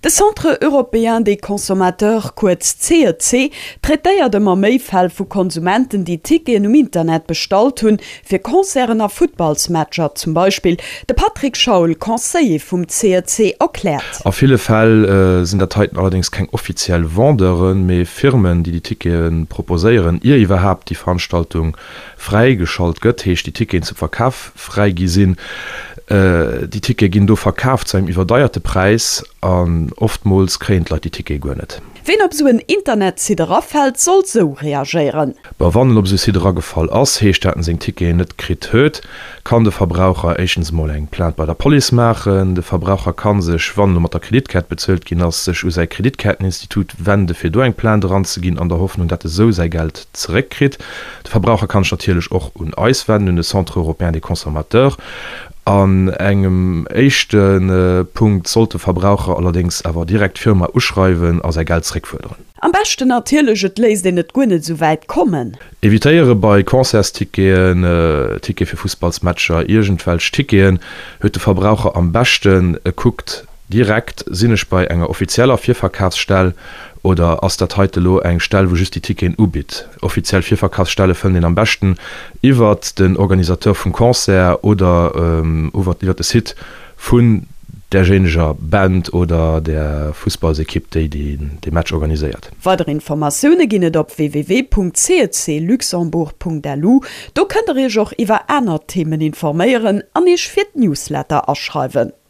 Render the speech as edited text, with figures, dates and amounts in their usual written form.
De Centre européen des consommateurs, kuerz CEC, traitéiert ëmmer méi Fäll vu Konsumenten, déi Ticketen um Internet bestallt hunn, fir Concerten a Futtballsmatcher zum Beispill. De Patrick Schaul, Conseiller vum CEC, erkläert. A ville Fäll sinn dat heiten allerdéngs keng offiziell Vendeuren, mee Firmen, déi déi Tickete proposéieren, ier iwwerhaapt déi Veranstaltung fräigeschalt gëtt, heescht déi Ticketen zum Verkaf fräi gi sinn. Déi Tickete ginn do verkaf zu engem iwwerdeierte Präis an oftmools kréien d'Leit déi Tickete guer net. Ween op sou en Internetsite erafält, soll sou reagéieren. Bon, wann en op esou Site eragefall ass, heescht dat en seng Ticketen net kritt huet, kann de Verbraucher éischtens emol eng Plainte bei der Police maachen. De Verbraucher kann sech, wann elo mat der Kreditkaart bezuelt ginn ass, sech u säi Kreditkaarteninstitut wende fir do eng Plainte eranzeginn, an der Hoffnung dat e sou säi Geld zeréckkritt. De Verbraucher kann sech natierlech och un eis wenden, un de Centre européen des consommateurs. An engem éischte Punkt sollt de Verbraucher allerdéngs awer direkt d'Firma uschreiwen a säi Geld zeréckfuerderen. Am beschten natierlech, et léisst een et guer net esou wäit kommen. Evitéiere bei Concertsticketen, Tickete fir Fussballsmatcher, iergendwelch Ticketen, huet de Verbraucher am beschten e kuckt Direkt, Sinn ech bei enger offizieller Virverkafsstell oder ass dat heite lo eng Stell wou just déi Ticketen ubitt? Offiziell Virverkafsstelle fënnt een am beschten iwwert den Organisateur vum Concert oder iwwert de Site vun därjéineger Band oder der Fussballsekipp déi dee Match organiséiert. Weider Informatioune ginn et op www.cecluxembourg.lu. Do kënnt der iech och iwwer aner Themen informéieren an iech fir d'Newsletter aschreiwen.